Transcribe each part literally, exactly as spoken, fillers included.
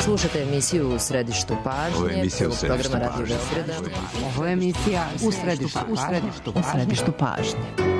Slušate emisiju U središtu pažnje. Ovo je emisija U središtu pažnje. Ovo je emisija U središtu pažnje. U središtu pažnje.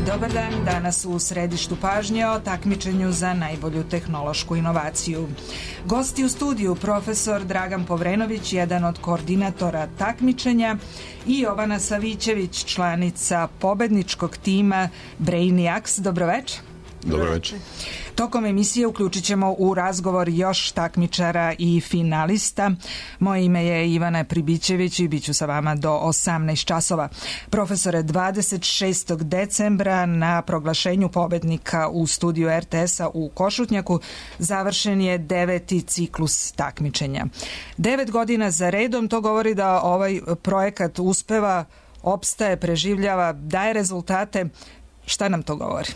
Dobar dan, danas u središtu pažnje o takmičenju za najbolju tehnološku inovaciju. Gosti u studiju profesor Dragan Povrenović, jedan od koordinatora takmičenja, i Jovana Savićević, članica pobedničkog tima Brainiacs. Dobroveče. Dobroveče. Tokom emisije uključit ćemo u razgovor još takmičara i finalista. Moje ime je Ivana Pribićević i bit ću sa vama do osamnaest časova. Profesore, dvadeset šestog decembra na proglašenju pobednika u studiju er te es-a u Košutnjaku završen je deveti ciklus takmičenja. Devet godina za redom, to govori da ovaj projekat uspeva, opstaje, preživljava, daje rezultate. Šta nam to govori?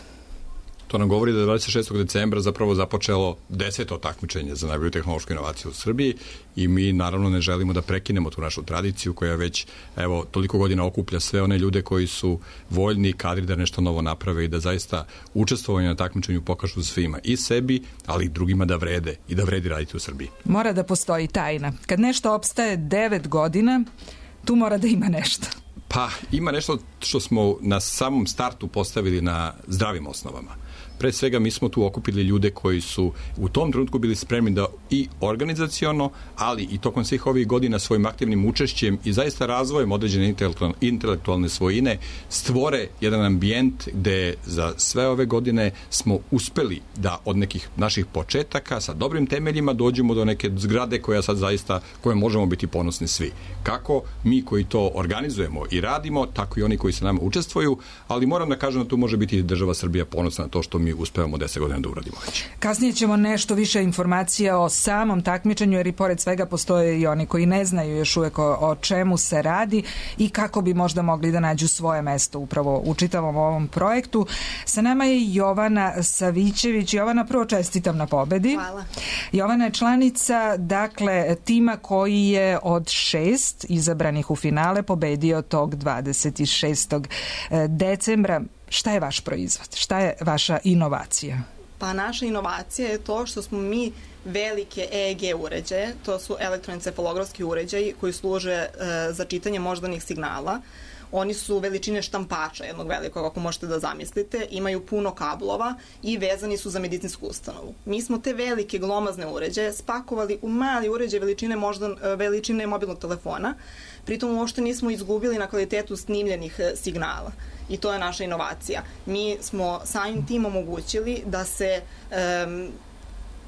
To nam govori da je dvadeset šestog decembra zapravo započelo deseto takmičenje za najbolju tehnološku inovaciju u Srbiji i mi naravno ne želimo da prekinemo tu našu tradiciju koja već evo toliko godina okuplja sve one ljude koji su voljni i kadri da nešto novo naprave i da zaista učestvovanje na takmičenju pokažu svima i sebi, ali i drugima da vrede i da vredi raditi u Srbiji. Mora da postoji tajna. Kad nešto opstaje devet godina, tu mora da ima nešto. Pa ima nešto što smo na samom startu postavili na zdravim osnovama. Pre svega mi smo tu okupili ljude koji su u tom trenutku bili spremni da i organizaciono, ali i tokom svih ovih godina svojim aktivnim učešćem i zaista razvojem određene intelektualne svojine stvore jedan ambijent gde za sve ove godine smo uspeli da od nekih naših početaka sa dobrim temeljima dođemo do neke zgrade koja sad zaista, koje možemo biti ponosni svi. Kako mi koji to organizujemo i radimo, tako i oni koji se nama učestvuju, ali moram da kažem da tu može biti država Srbija ponosna na to što mi uspevamo deset godina da uradimo već. Kasnije ćemo nešto više informacija o samom takmičenju, jer i pored svega postoje i oni koji ne znaju još uvek o, o čemu se radi i kako bi možda mogli da nađu svoje mesto upravo u čitavom ovom projektu. Sa nama je Jovana Savićević. Jovana, prvo čestitam na pobedi. Hvala. Jovana je članica, dakle, tima koji je od šest izabranih u finale pobedio tog dvadeset šestog decembra. Šta je vaš proizvod? Šta je vaša inovacija? Pa naša inovacija je to što smo mi velike E E G uređaje, to su elektroencefalografski uređaji koji služe e, za čitanje moždanih signala. Oni su veličine štampača jednog velikog, ako možete da zamislite, imaju puno kablova i vezani su za medicinsku ustanovu. Mi smo te velike glomazne uređaje spakovali u mali uređaj veličine, moždan, veličine mobilnog telefona, pritom uopšte nismo izgubili na kvalitetu snimljenih signala. I to je naša inovacija. Mi smo samim tim omogućili da se um,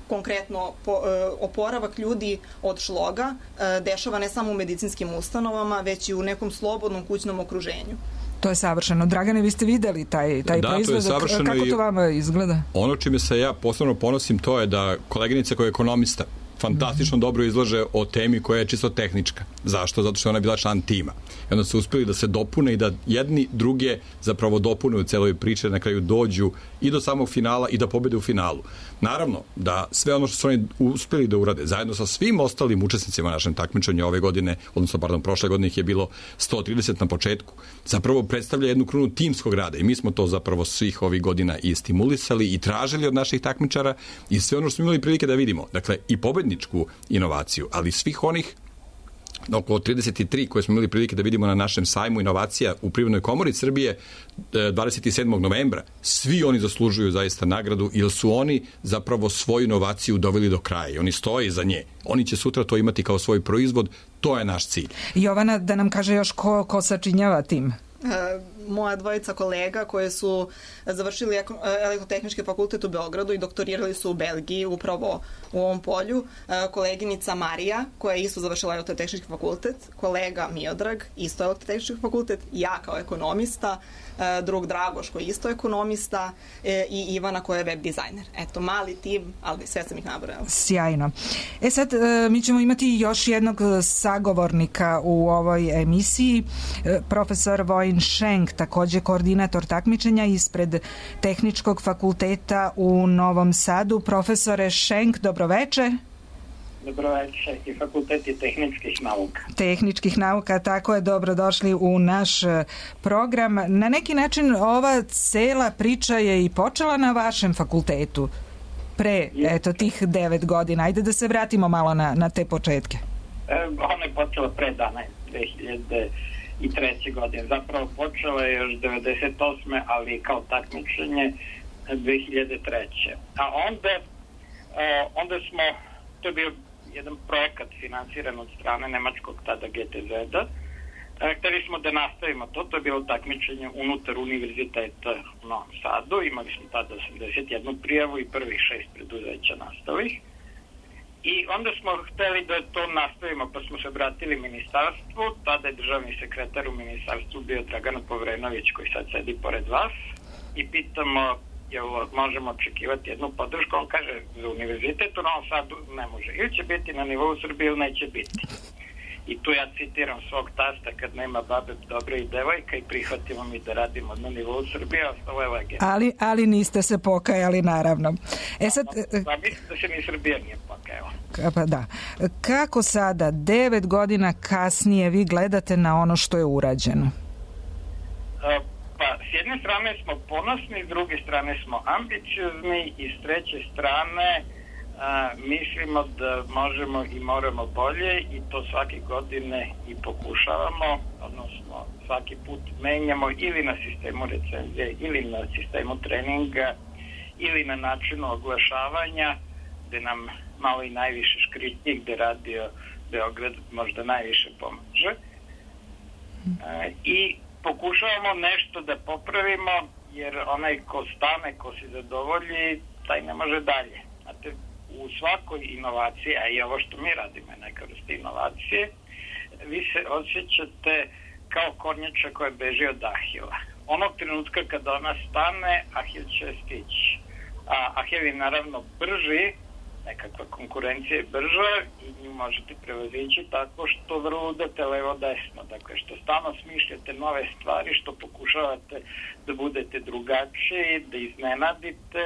konkretno po, uh, oporavak ljudi od šloga uh, dešava ne samo u medicinskim ustanovama, već i u nekom slobodnom kućnom okruženju. To je savršeno. Dragane, vi ste videli taj, taj da, proizvod. To Kako to vama izgleda? Ono čime se ja posebno ponosim to je da koleginica koja je ekonomista fantastično dobro izlaže o temi koja je čisto tehnička. Zašto? Zato što ona je bila član tima. I onda su uspeli da se dopune i da jedni druge zapravo dopune u celoj priči, na kraju dođu i do samog finala i da pobede u finalu. Naravno, da sve ono što su oni uspeli da urade, zajedno sa svim ostalim učesnicima našem takmičenju ove godine, odnosno, pardon, prošle godine ih je bilo sto trideset na početku, zapravo predstavlja jednu krunu timskog rada i mi smo to zapravo svih ovih godina i stimulisali i tražili od naših takmičara i sve ono što smo imali prilike da vidimo. Dakle, i pobedničku inovaciju, ali svih onih oko trideset tri koje smo imali prilike da vidimo na našem sajmu inovacija u Privrednoj komori Srbije dvadeset sedmog novembra. Svi oni zaslužuju zaista nagradu jer su oni zapravo svoju inovaciju doveli do kraja i oni stoje iza nje. Oni će sutra to imati kao svoj proizvod, to je naš cilj. Jovana, da nam kaže još ko, ko sačinjava tim? Moja dvojica kolega koje su završili elektrotehnički fakultet u Beogradu i doktorirali su u Belgiji upravo u ovom polju. Koleginica Marija koja je isto završila elektrotehnički fakultet, kolega Miodrag isto elektrotehnički fakultet, ja kao ekonomista, drug Dragoš koji je isto ekonomista i Ivana koja je web dizajner. Eto, mali tim, ali sve sam ih nabrojala. Sjajno. E sad, mi ćemo imati još jednog sagovornika u ovoj emisiji, profesor Vojin Šenk, takođe koordinator takmičenja ispred Tehničkog fakulteta u Novom Sadu. Profesore Šenk, dobroveče. Dobroveče, i fakulteti tehničkih nauka. Tehničkih nauka, tako je, dobrodošli u naš program. Na neki način ova cela priča je i počela na vašem fakultetu pre, eto, tih devet godina. Ajde da se vratimo malo na, na te početke. E, ona je počela pre dana, dve hiljade treće. godine. Zapravo počela je još devedeset osme ali kao takmičenje dve hiljade treće. A onda, e, onda smo, to je bio jedan projekat finansiran od strane nemačkog tada G T Z-a. E, hteli smo da nastavimo to, to je bilo takmičenje unutar univerziteta u Novom Sadu. Imali smo tada osamdeset jednu prijavu i prvih šest preduzeća nastalih. I onda smo hteli da to nastavimo, pa smo se obratili ministarstvu. Tada je državni sekretar u ministarstvu bio Dragan Povrenović, koji sad sedi pored vas. I pitamo, jel možemo očekivati jednu podršku? On kaže, za univerzitet u Novom Sadu ne može. Ili će biti na nivou Srbije ili neće biti. I tu ja citiram svog tasta, kad nema babe dobre i devojka, i prihvatimo mi da radimo na nivou Srbije, ostalo je legenda. Ali, ali niste se pokajali, naravno. E sad, pa mislim da se ni Srbija nije pokajala. Pa da. Kako sada, devet godina kasnije, vi gledate na ono što je urađeno? Pa, s jedne strane smo ponosni, s druge strane smo ambiciozni i s treće strane a, mislimo da možemo i moramo bolje i to svake godine i pokušavamo, odnosno svaki put menjamo ili na sistemu recenzije, ili na sistemu treninga, ili na načinu oglašavanja, gde nam malo i najviše škritnji, gde Radio Beograd možda najviše pomaže. A, I pokušavamo nešto da popravimo, jer onaj ko stane, ko se zadovolji, taj ne može dalje. Znate, u svakoj inovaciji, a i ovo što mi radimo je neka vrsta inovacije, vi se osjećate kao kornjača koja beži od Ahila. Onog trenutka kada ona stane, Ahil će stići. A Ahil je naravno brži, nekakva konkurencija je brža i nju možete prevazići tako što vrludate levo-desno. Dakle, što stalno smišljate nove stvari, što pokušavate da budete drugačiji, da iznenadite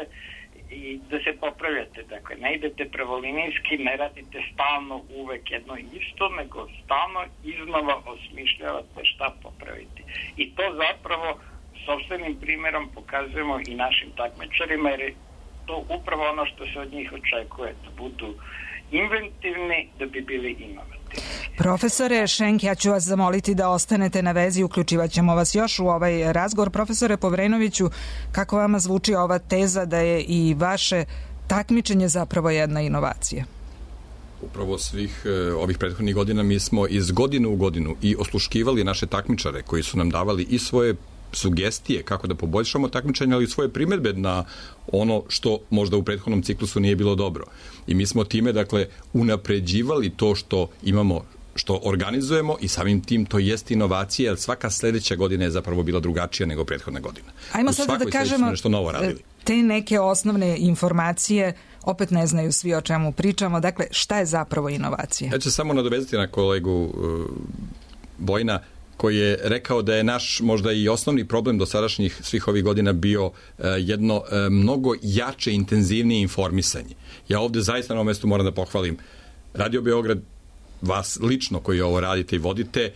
i da se popravljate. Dakle, ne idete pravolinijski, ne radite stalno uvek jedno isto, nego stalno iznova osmišljavate šta popraviti. I to zapravo sopstvenim primjerom pokazujemo i našim takmičarima, jer je to upravo ono što se od njih očekuje, da budu inventivni, da bi bili inovativni. Profesore Šenk, ja ću vas zamoliti da ostanete na vezi, uključivat ćemo vas još u ovaj razgovor. Profesore Povrenoviću, kako vama zvuči ova teza da je i vaše takmičenje zapravo jedna inovacija? Upravo svih e, ovih prethodnih godina mi smo iz godine u godinu i osluškivali naše takmičare koji su nam davali i svoje sugestije kako da poboljšamo takmičenje, ali i svoje primedbe na ono što možda u prethodnom ciklusu nije bilo dobro. I mi smo time, dakle, unapređivali to što imamo što organizujemo i samim tim to jest inovacija, jer svaka sledeća godina je zapravo bila drugačija nego prethodna godina. Ajmo sada da kažemo nešto novo radili. Te neke osnovne informacije, opet ne znaju svi o čemu pričamo, dakle šta je zapravo inovacija? Ja ću samo nadovezati na kolegu uh, Bojna, koji je rekao da je naš možda i osnovni problem do sadašnjih svih ovih godina bio uh, jedno uh, mnogo jače, intenzivnije informisanje. Ja ovde zaista na ovom mestu moram da pohvalim Radio Beograd, vas lično koji ovo radite i vodite,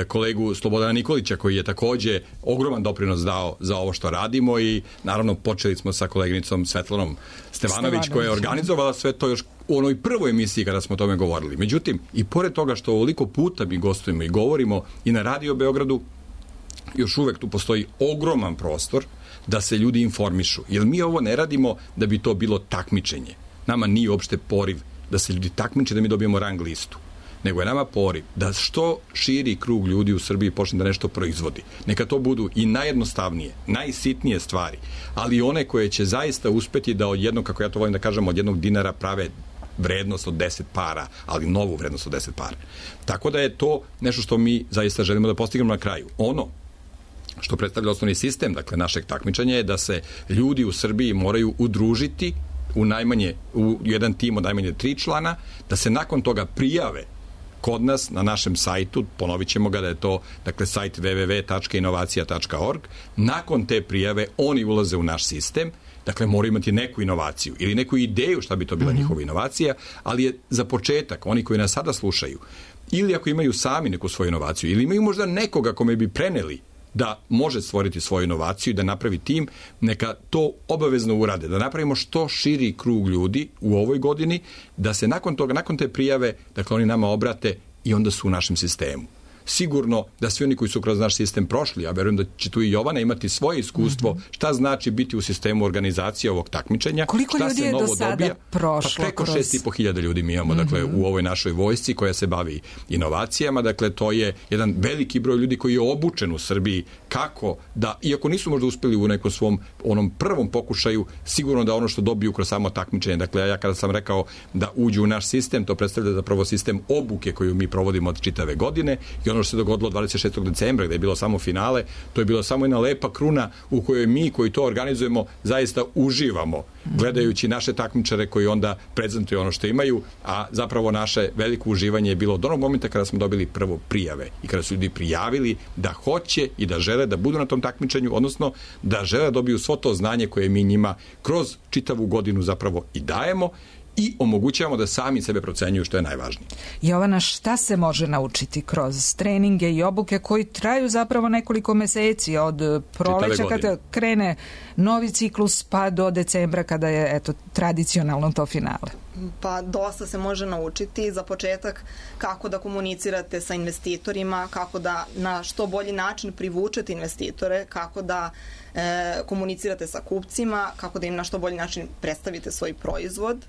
kolegu Slobodana Nikolića koji je takođe ogroman doprinos dao za ovo što radimo i naravno počeli smo sa koleginicom Svetlanom Stevanović koja je organizovala sve to još u onoj prvoj emisiji kada smo o tome govorili. Međutim, i pored toga što ovoliko puta mi gostujemo i govorimo i na Radio Beogradu, još uvek tu postoji ogroman prostor da se ljudi informišu. Jer mi ovo ne radimo da bi to bilo takmičenje. Nama nije uopšte poriv da se ljudi takmiče da mi dobijemo rang listu. Nego je nama poriv da što širi krug ljudi u Srbiji počne da nešto proizvodi. Neka to budu i najjednostavnije, najsitnije stvari, ali one koje će zaista uspeti da od jednog, kako ja to volim da kažem, od jednog dinara prave vrednost od deset para, ali novu vrednost od deset para. Tako da je to nešto što mi zaista želimo da postignemo na kraju. Ono što predstavlja osnovni sistem, dakle, našeg takmičenja je da se ljudi u Srbiji moraju udružiti u najmanje, u jedan tim od najmanje tri člana, da se nakon toga prijave kod nas na našem sajtu, ponovit ćemo ga da je to, dakle, sajt w w w tačka inovacija tačka org. Nakon te prijave oni ulaze u naš sistem, dakle, moraju imati neku inovaciju ili neku ideju šta bi to bila mm-hmm. njihova inovacija, ali je za početak, oni koji nas sada slušaju, ili ako imaju sami neku svoju inovaciju, ili imaju možda nekoga kome bi preneli da može stvoriti svoju inovaciju i da napravi tim, neka to obavezno urade, da napravimo što širi krug ljudi u ovoj godini, da se nakon toga, nakon te prijave, dakle, oni nama obrate i onda su u našem sistemu. Sigurno da svi oni koji su kroz naš sistem prošli, ja verujem da će tu i Jovana imati svoje iskustvo, šta znači biti u sistemu organizacije ovog takmičenja. Koliko šta ljudi se je novo do sada dobija? prošlo? Pa preko kroz... šest i po hiljada ljudi mi imamo, dakle, mm-hmm. u ovoj našoj vojsci koja se bavi inovacijama. Dakle, to je jedan veliki broj ljudi koji je obučen u Srbiji kako da, iako nisu možda uspeli u nekom svom onom prvom pokušaju, sigurno da ono što dobiju kroz samo takmičenje. Dakle, ja kada sam rekao da uđu u naš sistem, to predstavlja zapravo sistem obuke koju mi provodimo od čitave godine i ono što se dogodilo dvadeset šestog decembra gde je bilo samo finale, to je bilo samo jedna lepa kruna u kojoj mi koji to organizujemo zaista uživamo gledajući naše takmičare koji onda prezentuju ono što imaju, a zapravo naše veliko uživanje je bilo od onog momenta kada smo dobili prvo prijave i kada su ljudi prijavili da hoće i da žele da budu na tom takmičenju, odnosno da žele da dobiju svo to znanje koje mi njima kroz čitavu godinu zapravo i dajemo i omogućavamo da sami sebe procenjuju, što je najvažnije. Jovana, šta se može naučiti kroz treninge i obuke koji traju zapravo nekoliko meseci od proleća kada krene novi ciklus pa do decembra kada je, eto, tradicionalno to finale? Pa dosta se može naučiti. Za početak kako da komunicirate sa investitorima, kako da na što bolji način privučete investitore, kako da e, komunicirate sa kupcima, kako da im na što bolji način predstavite svoj proizvod.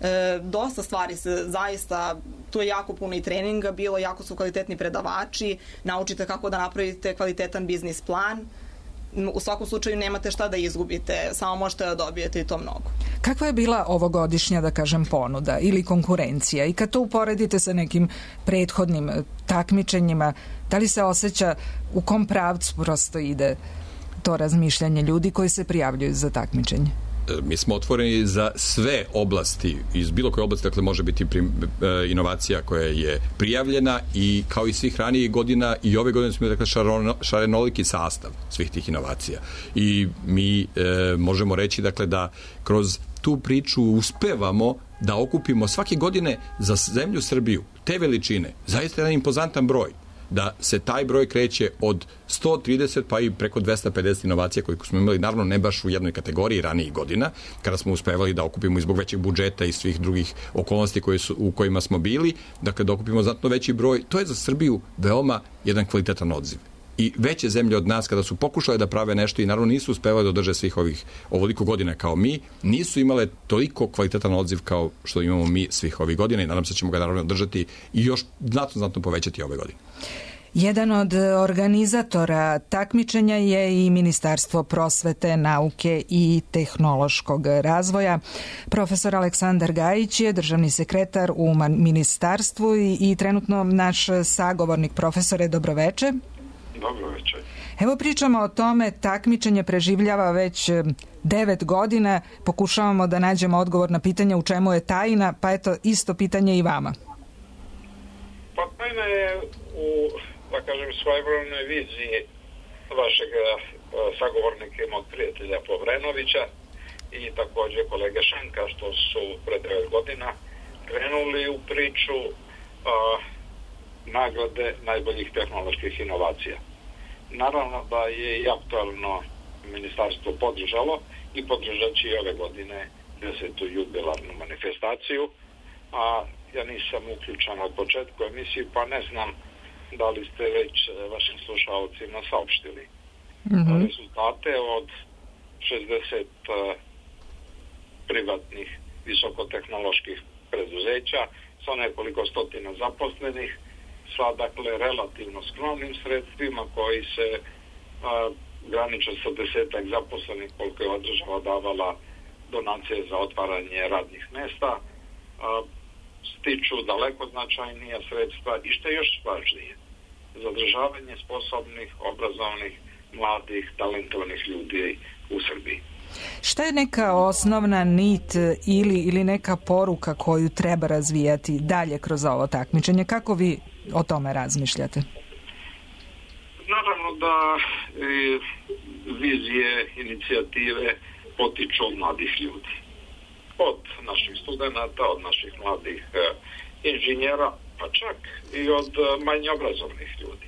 E, dosta stvari se zaista, tu je jako puno i treninga bilo, jako su kvalitetni predavači, naučite kako da napravite kvalitetan biznis plan. U svakom slučaju nemate šta da izgubite, samo možete da dobijete i to mnogo. Kakva je bila ovogodišnja, da kažem, ponuda ili konkurencija? I kad to uporedite sa nekim prethodnim takmičenjima, da li se osjeća u kom pravcu prosto ide to razmišljanje ljudi koji se prijavljuju za takmičenje? Mi smo otvoreni za sve oblasti, iz bilo koje oblasti, dakle može biti prim, e, inovacija koja je prijavljena i kao i svih ranijih godina i ove godine smo dakle šarono, šarenoliki sastav svih tih inovacija. I mi e, možemo reći dakle da kroz tu priču uspevamo da okupimo svake godine za zemlju Srbiju te veličine, zaista jedan impozantan broj, da se taj broj kreće od sto trideset pa i preko dvesta pedeset inovacija koje smo imali, naravno ne baš u jednoj kategoriji ranijih godina, kada smo uspevali da okupimo i zbog većeg budžeta i svih drugih okolnosti koje su, u kojima smo bili, dakle da okupimo znatno veći broj. To je za Srbiju veoma jedan kvalitetan odziv. I veće zemlje od nas kada su pokušale da prave nešto i naravno nisu uspevali da održe svih ovih ovoliko godina kao mi, nisu imale toliko kvalitetan odziv kao što imamo mi svih ovih godina i nadam se da ćemo ga naravno održati i još znatno, znatno povećati ove godine. Jedan od organizatora takmičenja je i Ministarstvo prosvete, nauke i tehnološkog razvoja. Profesor Aleksandar Gajić je državni sekretar u ministarstvu i, i trenutno naš sagovornik. Profesore, dobroveče. Dobroveče. Evo pričamo o tome, takmičenje preživljava već devet godina, pokušavamo da nađemo odgovor na pitanje u čemu je tajna, pa eto isto pitanje i vama. Pa tajna je u, da kažem, svojevremnoj viziji vašeg sagovornika i mog prijatelja Povrenovića i također kolege Šanka, što su pre devet godina krenuli u priču a, nagrade najboljih tehnoloških inovacija. Naravno da je i aktualno ministarstvo podržalo i podržat će i ove godine desetu jubilarnu manifestaciju, a ja nisam uključen od početka emisije, pa ne znam da li ste već vašim slušalcima saopštili. Mm-hmm. Rezultate od šezdeset privatnih visokotehnoloških preduzeća sa nekoliko stotina zaposlenih, sa dakle relativno skromnim sredstvima koji se a, graniče sa desetak zaposlenih koliko je država davala donacije za otvaranje radnih mesta, a, stiču daleko značajnija sredstva i što je još važnije, zadržavanje sposobnih, obrazovnih, mladih, talentovnih ljudi u Srbiji. Šta je neka osnovna nit ili, ili neka poruka koju treba razvijati dalje kroz ovo takmičenje? Kako vi o tome razmišljate? Naravno da e, vizije, inicijative potiču od mladih ljudi. Od naših studenata, od naših mladih e, inženjera, pa čak i od e, manje obrazovnih ljudi.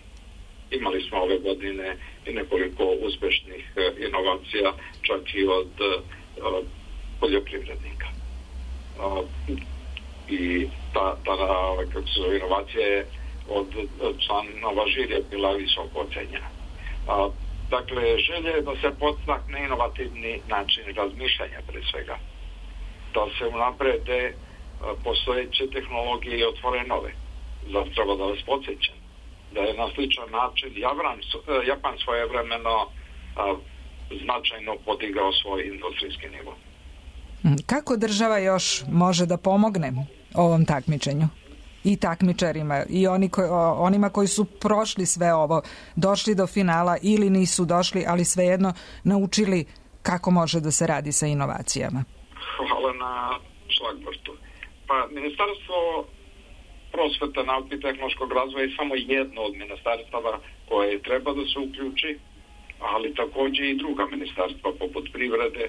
Imali smo ove godine i nekoliko uspešnih e, inovacija, čak i od e, poljoprivrednika. E, I ta, ta kako se zove, inovacija je od članova žirija bila visoko ocenjena. A, dakle, želje je da se podstakne inovativni način razmišljanja pre svega. Da se unaprede postojeće tehnologije i otvore nove. Zato treba da vas podsjećam da je na sličan način Japan, Japan svojevremeno a, značajno podigao svoj industrijski nivo. Kako država još može da pomogne ovom takmičenju? I takmičarima, i oni koji, onima koji su prošli sve ovo, došli do finala ili nisu došli, ali svejedno naučili kako može da se radi sa inovacijama. Hvala na šlagvrtu. Pa, Ministarstvo prosvete, nauke i tehnološkog razvoja je samo jedno od ministarstava koje treba da se uključi, ali također i druga ministarstva poput privrede,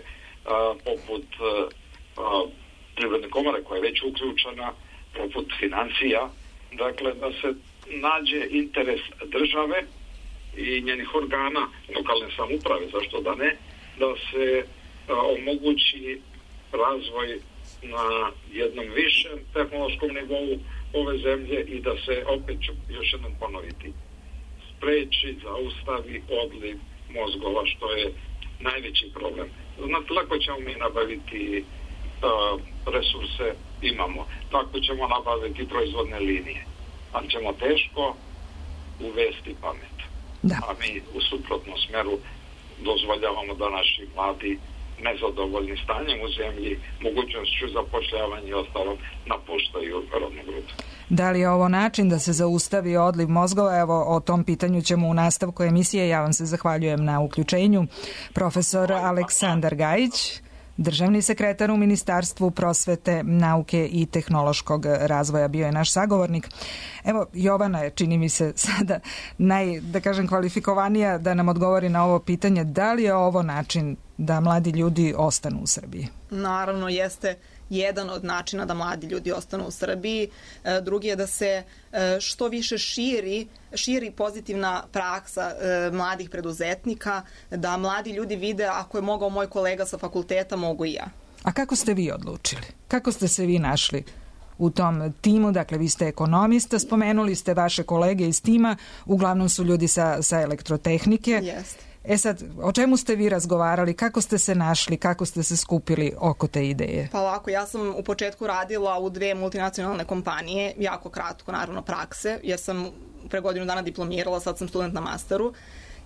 poput privredne komore koja je već uključena, poput financija, dakle da se nađe interes države i njenih organa lokalne samouprave, zašto da ne, da se a, omogući razvoj na jednom višem tehnološkom nivou ove zemlje i da se, opet ću još jednom ponoviti, spreči, zaustavi odliv mozgova, što je najveći problem. Znate, lako ćemo mi nabaviti uh, resurse, imamo. Tako ćemo nabaviti proizvodne linije. Ali ćemo teško uvesti pamet. Da. A mi u suprotnom smeru dozvoljavamo da naši mladi nezadovoljni stanjem u zemlji, mogućnošću zapošljavanja i ostalom napuštaju rodnu grupu. Da li je ovo način da se zaustavi odliv mozgova? Evo, o tom pitanju ćemo u nastavku emisije. Ja vam se zahvaljujem na uključenju. Profesor Aleksandar Gajić, državni sekretar u Ministarstvu prosvete, nauke i tehnološkog razvoja, bio je naš sagovornik. Evo, Jovana je, čini mi se, sada naj, da kažem, kvalifikovanija da nam odgovori na ovo pitanje. Da li je ovo način da mladi ljudi ostanu u Srbiji? Naravno, jeste jedan od načina da mladi ljudi ostanu u Srbiji. Drugi je da se što više širi, širi pozitivna praksa mladih preduzetnika, da mladi ljudi vide ako je mogao moj kolega sa fakulteta, mogu i ja. A kako ste vi odlučili? Kako ste se vi našli u tom timu? Dakle, vi ste ekonomista, spomenuli ste vaše kolege iz tima, uglavnom su ljudi sa, sa elektrotehnike. Jeste. E sad, o čemu ste vi razgovarali, kako ste se našli, kako ste se skupili oko te ideje? Pa ovako, ja sam u početku radila u dve multinacionalne kompanije, jako kratko, naravno prakse, jer sam pre godinu dana diplomirala, sad sam student na masteru.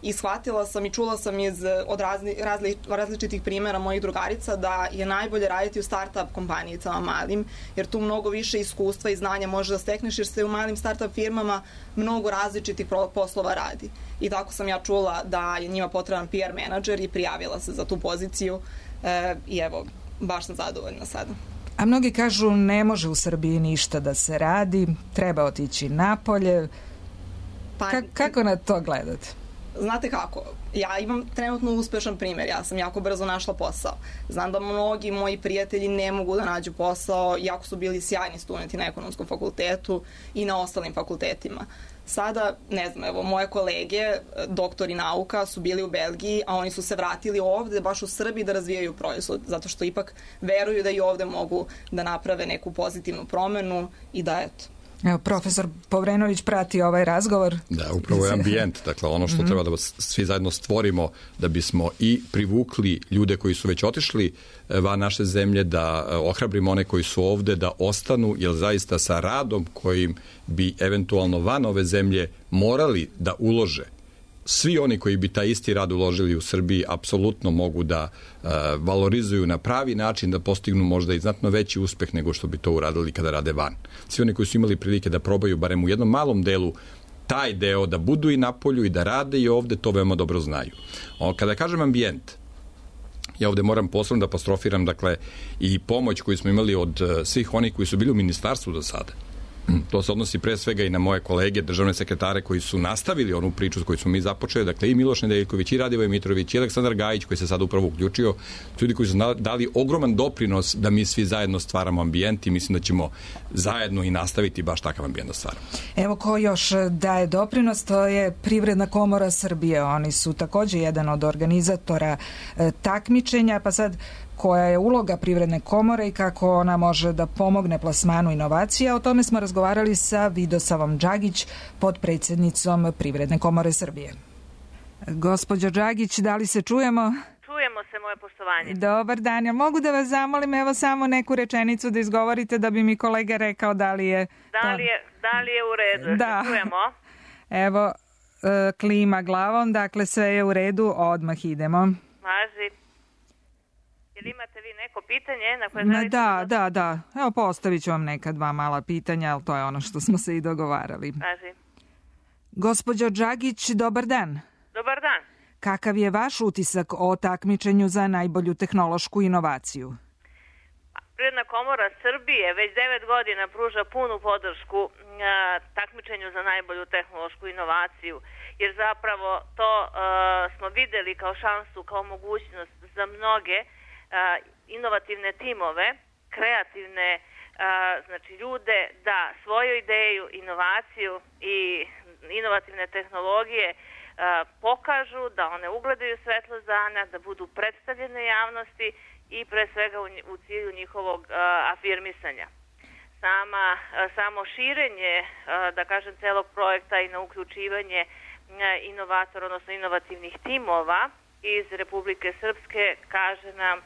I shvatila sam i čula sam iz, od razni, razli, različitih primjera mojih drugarica da je najbolje raditi u start-up kompanijicama malim, jer tu mnogo više iskustva i znanja može da stekneš, jer se u malim start-up firmama mnogo različitih poslova radi. I tako sam ja čula da je njima potreban P R menadžer i prijavila se za tu poziciju e, i evo, baš sam zadovoljna sada. A mnogi kažu ne može u Srbiji ništa da se radi, treba otići napolje. Pa, Ka- kako na to gledate? Znate kako, ja imam trenutno uspešan primjer, ja sam jako brzo našla posao. Znam da mnogi moji prijatelji ne mogu da nađu posao, iako su bili sjajni studenti na ekonomskom fakultetu i na ostalim fakultetima. Sada, ne znam, evo, moje kolege, doktori nauka, su bili u Belgiji, a oni su se vratili ovde, baš u Srbiji, da razvijaju proizvod, zato što ipak veruju da i ovde mogu da naprave neku pozitivnu promenu i da, eto. Evo, profesor Povrenović prati ovaj razgovor. Da, upravo je ambijent, dakle ono što mm-hmm. treba da svi zajedno stvorimo da bismo i privukli ljude koji su već otišli van naše zemlje, da ohrabrimo one koji su ovde, da ostanu, jer zaista sa radom kojim bi eventualno van ove zemlje morali da ulože, svi oni koji bi taj isti rad uložili u Srbiji apsolutno mogu da uh, valorizuju na pravi način, da postignu možda i znatno veći uspeh nego što bi to uradili kada rade van. Svi oni koji su imali prilike da probaju barem u jednom malom delu taj deo, da budu i na polju i da rade i ovde, to veoma dobro znaju. O, kada kažem ambijent, ja ovde moram posebno da apostrofiram, dakle, i pomoć koju smo imali od uh, svih onih koji su bili u ministarstvu do sada. To se odnosi pre svega i na moje kolege, državne sekretare koji su nastavili onu priču koju smo mi započeli, dakle i Miloš Nedeljković, i Radivoj Mitrović, i Aleksandar Gajić koji se sad upravo uključio, ljudi koji su dali ogroman doprinos da mi svi zajedno stvaramo ambijent i mislim da ćemo zajedno i nastaviti baš takav ambijent da stvaramo. Evo ko još daje doprinos, to je Privredna komora Srbije. Oni su takođe jedan od organizatora e, takmičenja, pa sad koja je uloga Privredne komore i kako ona može da pomogne plasmanu inovacija. O tome smo razgovarali sa Vidosavom Đagić, potpredsjednicom Privredne komore Srbije. Gospođo Đagić, da li se čujemo? Čujemo se, moje poštovanje. Dobar dan, ja mogu da vas zamolim evo samo neku rečenicu da izgovorite da bi mi kolega rekao da li je... Da li je, da li je u redu? Da. Čujemo. Evo, e, klima glavom, dakle sve je u redu, odmah idemo. Važi. Ili imate vi neko pitanje na koje želite? Da, da, da. Evo postavit ću vam neka dva mala pitanja, ali to je ono što smo se i dogovarali. Važi. Gospođo Đagić, dobar dan. Dobar dan. Kakav je vaš utisak o takmičenju za najbolju tehnološku inovaciju? Privredna komora Srbije već devet godina pruža punu podršku a, takmičenju za najbolju tehnološku inovaciju, jer zapravo to a, smo videli kao šansu, kao mogućnost za mnoge a, inovativne timove, kreativne a, znači ljude da svoju ideju, inovaciju i inovativne tehnologije a, pokažu, da one ugledaju svetlo dana, da budu predstavljene javnosti i pre svega u, u cilju njihovog a, afirmisanja. Sama, a, samo širenje, a, da kažem, celog projekta i na uključivanje a, inovatora, odnosno inovativnih timova iz Republike Srpske kaže nam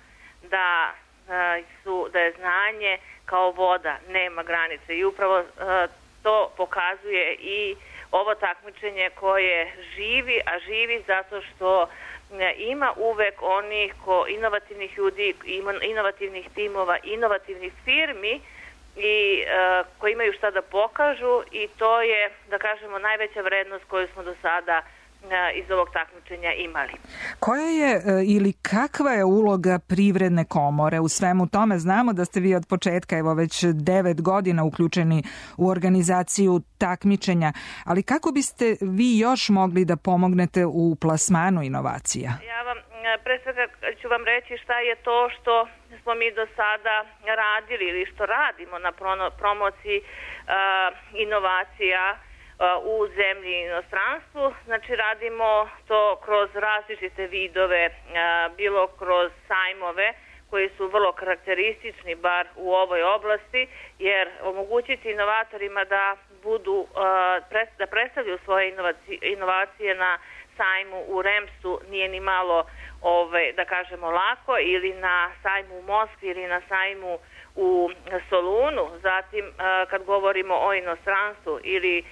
da, a, su, da je znanje kao voda, nema granice i upravo a, to pokazuje i ovo takmičenje koje živi, a živi zato što ima uvek onih ko inovativnih ljudi, inovativnih timova, inovativnih firmi i uh, koji imaju šta da pokažu i to je, da kažemo, najveća vrednost koju smo do sada uh, iz ovog takmičenja imali. Koja je uh, ili kakva je uloga Privredne komore u svemu tome? Znamo da ste vi od početka, evo već devet godina uključeni u organizaciju takmičenja, ali kako biste vi još mogli da pomognete u plasmanu inovacija? Ja vam, pre svega ću vam reći šta je to što smo mi do sada radili ili što radimo na promociji uh, inovacija uh, u zemlji i inostranstvu. Znači radimo to kroz različite vidove, uh, bilo kroz sajmove koji su vrlo karakteristični bar u ovoj oblasti, jer omogućiti inovatorima da budu, uh, pres, da predstavljaju svoje inovacije, inovacije na sajmu u Remsu nije ni malo, ove, da kažemo, lako, ili na sajmu u Moskvi ili na sajmu u Solunu, zatim kad govorimo o inostranstvu ili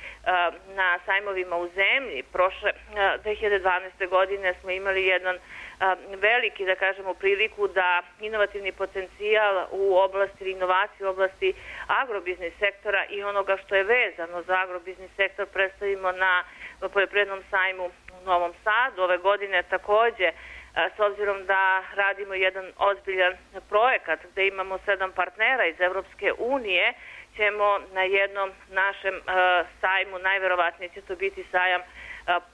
na sajmovima u zemlji. Prošle dve hiljade dvanaeste. godine smo imali jedan veliki, da kažemo, priliku da inovativni potencijal u oblasti inovacije, u oblasti agrobiznis sektora i onoga što je vezano za agrobiznis sektor predstavimo na poljoprivrednom sajmu u Novom Sadu. Ove godine takođe, s obzirom da radimo jedan ozbiljan projekat gde imamo sedam partnera iz Evropske unije, ćemo na jednom našem sajmu, najverovatnije će to biti sajam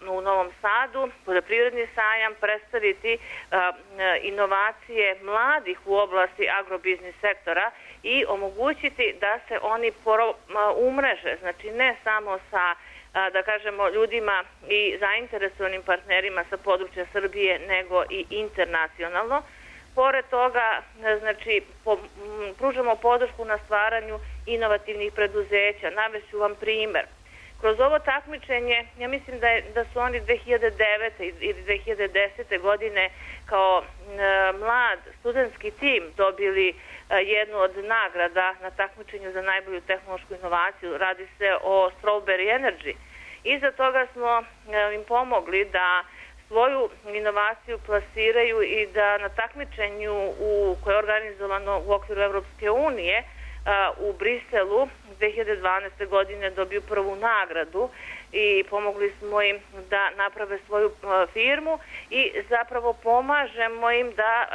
u Novom Sadu, poljoprivredni sajam, predstaviti inovacije mladih u oblasti agrobiznis sektora i omogućiti da se oni umreže, znači ne samo sa, da kažemo, ljudima i zainteresovanim partnerima sa područja Srbije, nego i internacionalno. Pored toga, znači, po, pružamo podršku na stvaranju inovativnih preduzeća. Navešću vam primer. Kroz ovo takmičenje, ja mislim da, je, da su oni dve hiljade devete. ili dve hiljade desete. godine kao e, mlad studentski tim dobili e, jednu od nagrada na takmičenju za najbolju tehnološku inovaciju. Radi se o Strawberry Energy. Iza toga smo e, im pomogli da svoju inovaciju plasiraju i da na takmičenju u, koje je organizovano u okviru Evropske unije u Briselu dve hiljade dvanaeste. godine dobiju prvu nagradu i pomogli smo im da naprave svoju firmu i zapravo pomažemo im da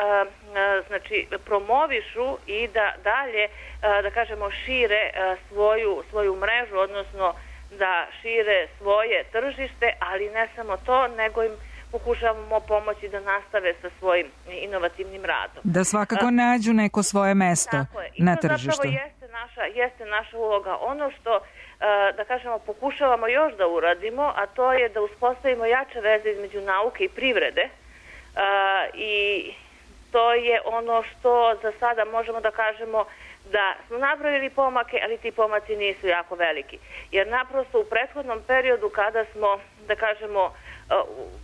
znači promovišu i da dalje, da kažemo, šire svoju, svoju mrežu, odnosno da šire svoje tržište, ali ne samo to, nego im pokušavamo pomoći da nastave sa svojim inovativnim radom. Da svakako nađu neko svoje mesto na tržištu. To zapravo jeste naša, jeste naša uloga. Ono što, da kažemo, pokušavamo još da uradimo, a to je da uspostavimo jače veze između nauke i privrede i to je ono što za sada možemo da kažemo da smo napravili pomake, ali ti pomaci nisu jako veliki. Jer naprosto u prethodnom periodu kada smo, da kažemo,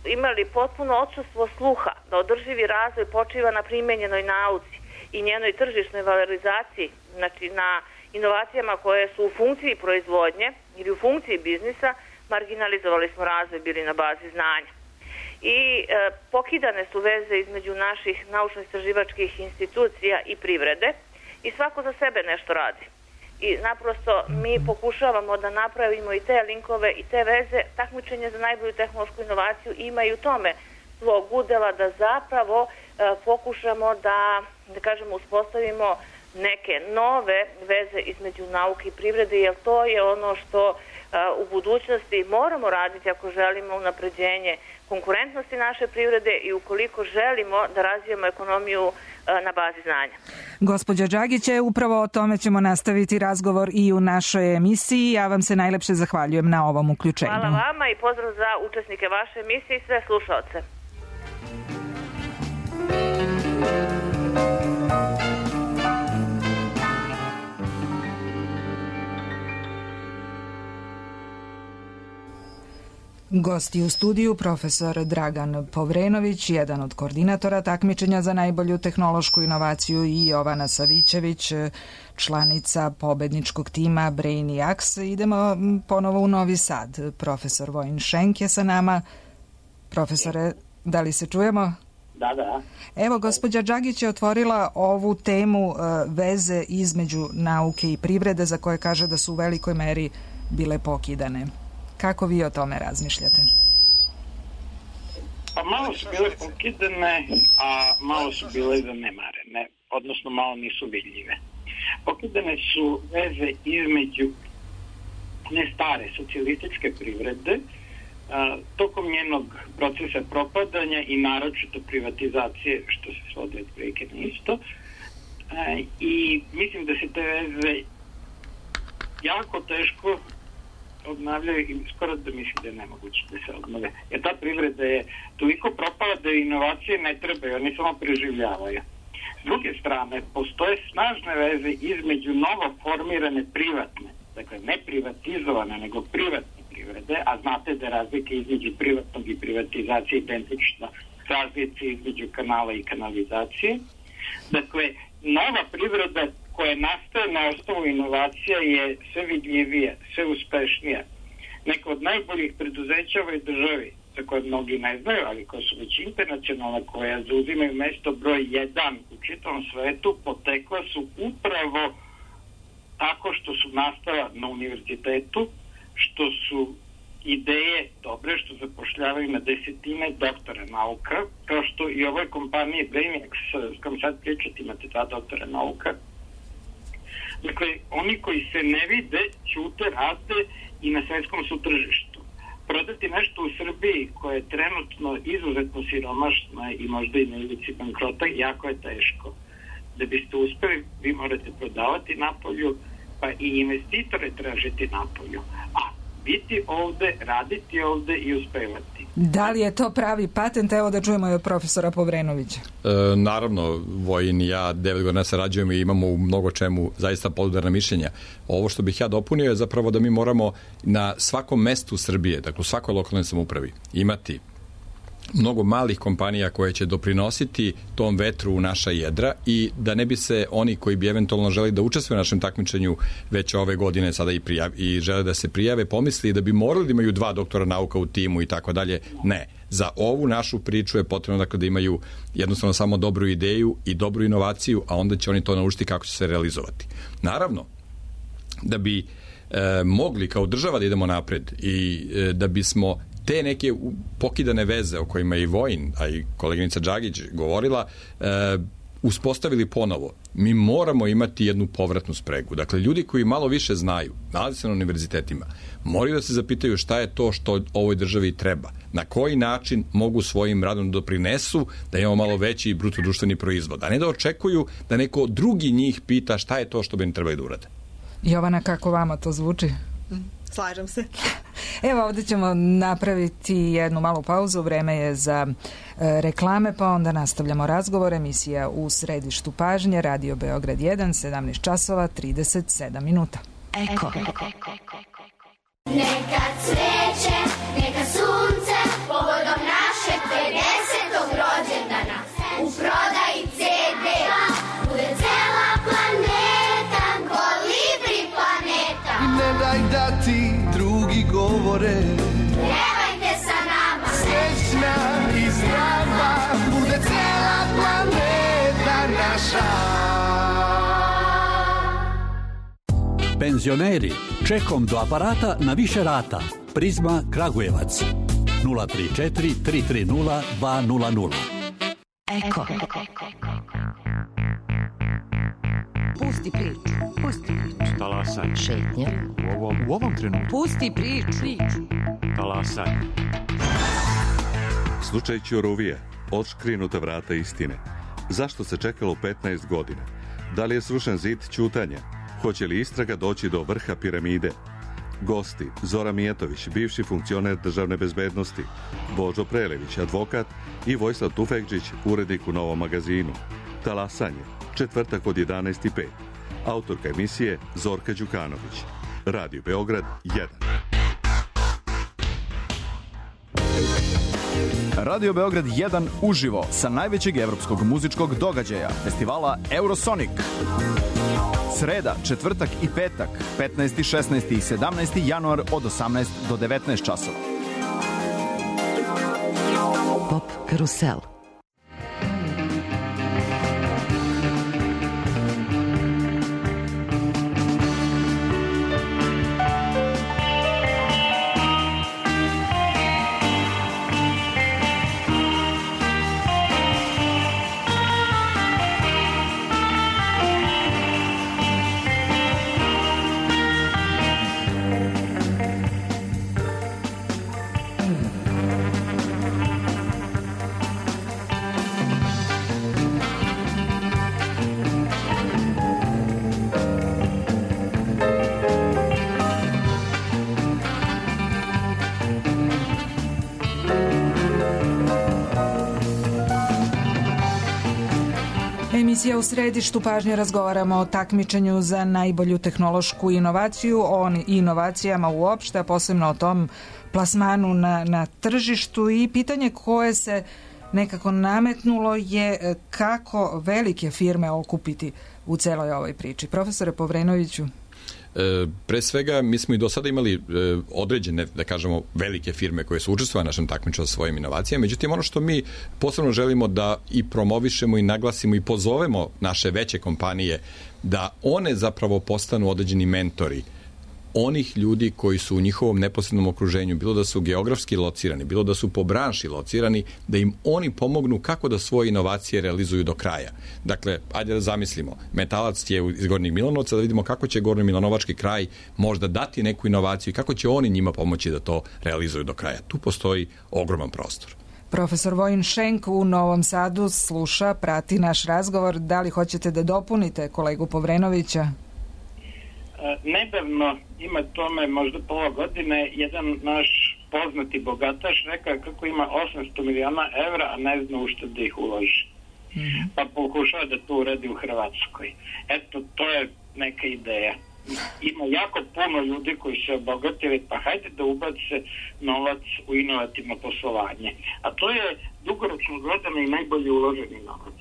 imali potpuno odsustvo sluha da održivi razvoj počiva na primenjenoj nauci i njenoj tržišnoj valorizaciji, znači na inovacijama koje su u funkciji proizvodnje ili u funkciji biznisa, marginalizovali smo razvoj, bili na bazi znanja. I e, pokidane su veze između naših naučno-istraživačkih institucija i privrede i svako za sebe nešto radi. I naprosto mi pokušavamo da napravimo i te linkove i te veze. Takmičenje za najbolju tehnološku inovaciju ima i u tome svog udela da zapravo e, pokušamo da, da kažemo, uspostavimo neke nove veze između nauke i privrede, jer to je ono što a, u budućnosti moramo raditi ako želimo unapređenje konkurentnosti naše privrede i ukoliko želimo da razvijemo ekonomiju a, na bazi znanja. Gospođa Đagić, upravo o tome ćemo nastaviti razgovor i u našoj emisiji. Ja vam se najlepše zahvaljujem na ovom uključenju. Hvala vama i pozdrav za učesnike vaše emisije i sve slušaoce. Gosti u studiju profesor Dragan Povrenović, jedan od koordinatora takmičenja za najbolju tehnološku inovaciju, i Jovana Savićević, članica pobedničkog tima Brainiacs. Idemo ponovo u Novi Sad. Profesor Vojin Šenk je sa nama. Profesore, da li se čujemo? Da, da. Evo, gospođa Đagić je otvorila ovu temu veze između nauke i privrede, za koje kaže da su u velikoj meri bile pokidane. Kako vi o tome razmišljate? Pa malo su bile pokidane, a malo su bile zanemarene, odnosno malo nisu vidljive. Pokidane su veze između ne stare socijalističke privrede, a, tokom njenog procesa propadanja i naročito privatizacije, što se svodi od prilike na isto. A, I mislim da se te veze jako teško obnavljaju i skoro da mislim da je nemoguće da se obnove. Jer ta privreda je toliko propala da inovacije ne trebaju, oni samo preživljavaju. S druge strane, postoje snažne veze između novo formirane privatne, dakle ne privatizovane, nego privatne privrede, a znate da je razlika između privatnog i privatizacije identična razlici između kanala i kanalizacije. Dakle, nova privreda koja nastaje na osnovu inovacija je sve vidljivija, sve uspešnija. Neka od najboljih preduzeća u ovoj državi, za koje mnogi ne znaju, ali koja su već internacionalna, koja zauzimaju mesto broj jedan u čitavom svetu, potekla su upravo tako što su nastala na univerzitetu, što su ideje dobre, što zapošljavaju na desetine doktora nauka, kao što i ovoj kompaniji Brainiac, s kojom sad pričati, imate dva doktora nauka. Dakle, oni koji se ne vide, ćute, rade i na svetskom su tržištu. Prodati nešto u Srbiji koje je trenutno izuzetno siromašno i možda i na ivici bankrota, jako je teško. Da biste uspeli, vi morate prodavati napolju, pa i investitore tražiti napolju. A biti ovde, raditi ovde i uspevati. Da li je to pravi patent? Evo da čujemo i od profesora Povrenovića. E, naravno, Vojin i ja devet godina sarađujemo i imamo u mnogo čemu zaista podudarna mišljenja. Ovo što bih ja dopunio je zapravo da mi moramo na svakom mestu Srbije, dakle u svakoj lokalnoj samoupravi, imati mnogo malih kompanija koje će doprinositi tom vetru u naša jedra i da ne bi se oni koji bi eventualno želi da učestvuju u našem takmičenju već ove godine sada i, prijav, i žele da se prijave, pomisli da bi morali da imaju dva doktora nauka u timu i tako dalje. Ne. Za ovu našu priču je potrebno dakle, da imaju jednostavno samo dobru ideju i dobru inovaciju, a onda će oni to naučiti kako će se realizovati. Naravno, da bi e, mogli kao država da idemo napred i e, da bismo te neke pokidane veze o kojima je i Vojin, a i koleginica Đagić govorila, e, uspostavili ponovo. Mi moramo imati jednu povratnu spregu. Dakle, ljudi koji malo više znaju, nalaze se na univerzitetima, moraju da se zapitaju šta je to što ovoj državi treba. Na koji način mogu svojim radom doprinesu da imamo malo veći bruto društveni proizvod. A ne da očekuju da neko drugi njih pita šta je to što bi im trebali da urade. Jovana, kako vama to zvuči? Slažem se. Evo, ovdje ćemo napraviti jednu malu pauzu, vreme je za e, reklame, pa onda nastavljamo razgovor. Emisija U središtu pažnje, Radio Beograd jedan, sedamnaest časova, trideset sedam minuta. Eko. Neka cveće, neka sunce, povodom našeg pedesetog rođendana, u prodaji ce de, bude cela planeta, kolibri planeta. Ne daj da ti drugi govore, pjevajte sa nama, srećna i zdrava, bude cela planeta naša. Penzioneri, čekom do aparata na više rata. Prizma Kragujevac. nula tri četiri tri tri nula dva nula nula. Eko. Pusti priču. Pusti priču. Talasanje. Šetnja. U ovom, u ovom trenutku. Pusti priču. Talasanje. Slučaj Ćuruvije. Otškrinuta vrata istine. Zašto se čekalo petnaest godina? Da li je srušen zid ćutanja? Hoće li istraga doći do vrha piramide? Gosti: Zora Mijetović, bivši funkcioner državne bezbednosti, Božo Prelević, advokat, i Vojislav Tufekđić, urednik u Novom magazinu. Talasanje, četvrtak od jedanaest i pet. Autorka emisije Zorka Đukanović. Radio Beograd jedan. Radio Beograd jedan uživo sa najvećeg evropskog muzičkog događaja, festivala Eurosonic. Sreda, četvrtak i petak, petnaesti, šesnaesti i sedamnaesti januar od osamnaest do devetnaest časova. Pop Karusel. Emisija U središtu pažnje, razgovaramo o takmičenju za najbolju tehnološku inovaciju, o inovacijama uopšte, a posebno o tom plasmanu na, na tržištu i pitanje koje se nekako nametnulo je kako velike firme okupiti u celoj ovoj priči. Profesore Povrenoviću. E, pre svega, mi smo i do sada imali e, određene, da kažemo, velike firme koje su učestvovale na našem takmičenju sa svojim inovacijama. Međutim, ono što mi posebno želimo da i promovišemo i naglasimo i pozovemo naše veće kompanije da one zapravo postanu određeni mentori onih ljudi koji su u njihovom neposrednom okruženju, bilo da su geografski locirani, bilo da su po branši locirani, da im oni pomognu kako da svoje inovacije realizuju do kraja. Dakle, ajde da zamislimo, Metalac je iz Gornjeg Milanovca, da vidimo kako će Gornji Milanovački kraj možda dati neku inovaciju i kako će oni njima pomoći da to realizuju do kraja. Tu postoji ogroman prostor. Profesor Vojin Šenk u Novom Sadu sluša, prati naš razgovor. Da li hoćete da dopunite kolegu Povrenovića? Nedavno, ima tome možda pola godine, jedan naš poznati bogataš rekao kako ima osamsto miliona evra, a ne zna u što da ih uloži. Mm-hmm. Pa pokušava da to uradi u Hrvatskoj. Eto, to je neka ideja. Ima jako puno ljudi koji se obogatili, pa hajde da ubace novac u inovativno poslovanje. A to je dugoročno gledano i najbolje uloženi novac.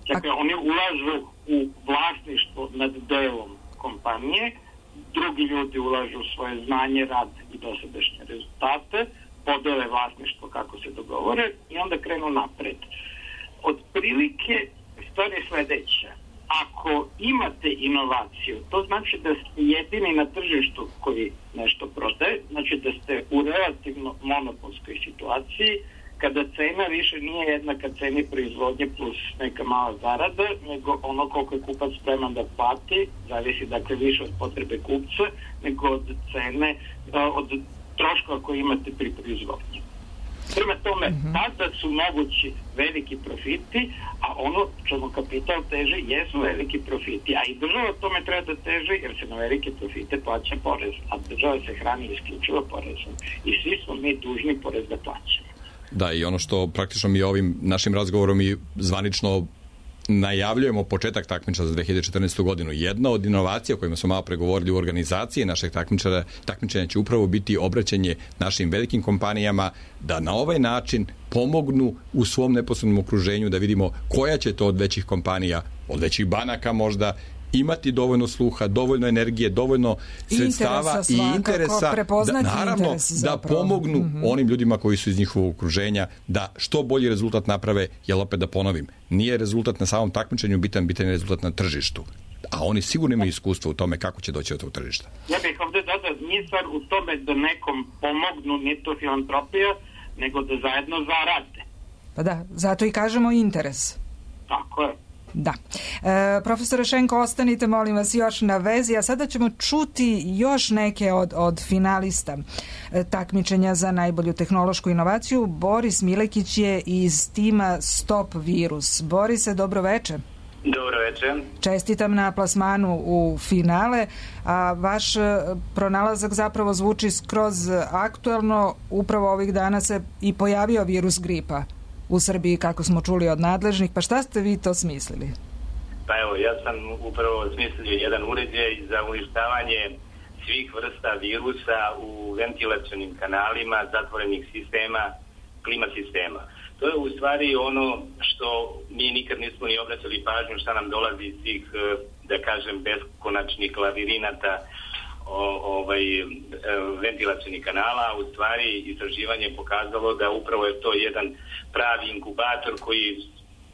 Dakle, oni ulažu u vlasništvo nad delom kompanije, drugi ljudi ulažu svoje znanje, rad i dosadašnje rezultate, podele vlasništvo kako se dogovore i onda krenu napred. Od prilike stvar je sledeća. Ako imate inovaciju, to znači da ste jedini na tržištu koji nešto prodaje, znači da ste u relativno monopolskoj situaciji, kada cena više nije jednaka ceni proizvodnje plus neka mala zarada, nego ono koliko je kupac spreman da plati, zavisi dakle više od potrebe kupca, nego od cene, od troškova koje imate pri proizvodnji. Prema tome, mm-hmm. tada su mogući veliki profiti, a ono čemu kapital teže jesu veliki profiti, a i država tome treba da teže jer se na velike profite plaća porez, a država se hrani isključivo porezom i svi smo mi dužni porez da plaćamo. Da, i ono što praktično mi ovim našim razgovorom i zvanično najavljujemo početak takmičenja za dve hiljade četrnaestu. godinu. Jedna od inovacija o kojima smo malo pregovorili u organizaciji našeg takmičenja, takmičenja će upravo biti obraćanje našim velikim kompanijama da na ovaj način pomognu u svom neposrednom okruženju, da vidimo koja će to od većih kompanija, od većih banaka možda, imati dovoljno sluha, dovoljno energije, dovoljno sredstava i interesa, da, naravno, interes da pomognu mm-hmm. onim ljudima koji su iz njihovog okruženja da što bolji rezultat naprave, jer opet da ponovim, nije rezultat na samom takmičenju bitan, bitan je rezultat na tržištu. A oni sigurno imaju iskustvo u tome kako će doći do tog tržišta. Ja bih ovdje dodao, nije stvar u tome da nekom pomognu, nije to filantropija, nego da zajedno zarade. Pa da, zato i kažemo interes. Tako je. Da. E, profesore Šenko, ostanite molim vas još na vezi, a sada ćemo čuti još neke od, od finalista e, takmičenja za najbolju tehnološku inovaciju. Boris Milekić je iz tima Stop Virus. Borise, dobro veče. Dobro večer. Čestitam na plasmanu u finale, a vaš pronalazak zapravo zvuči skroz aktuelno. Upravo ovih dana se i pojavio virus gripa u Srbiji, kako smo čuli od nadležnih. Pa šta ste vi to smislili? Pa evo, ja sam upravo smislio jedan uređaj za uništavanje svih vrsta virusa u ventilacionim kanalima, zatvorenih sistema, klima sistema. To je u stvari ono što mi nikad nismo ni obraćali pažnju šta nam dolazi iz tih, da kažem, beskonačnih lavirinata o, ovaj, ventilacionih kanala. U stvari istraživanje je pokazalo da upravo je to jedan pravi inkubator koji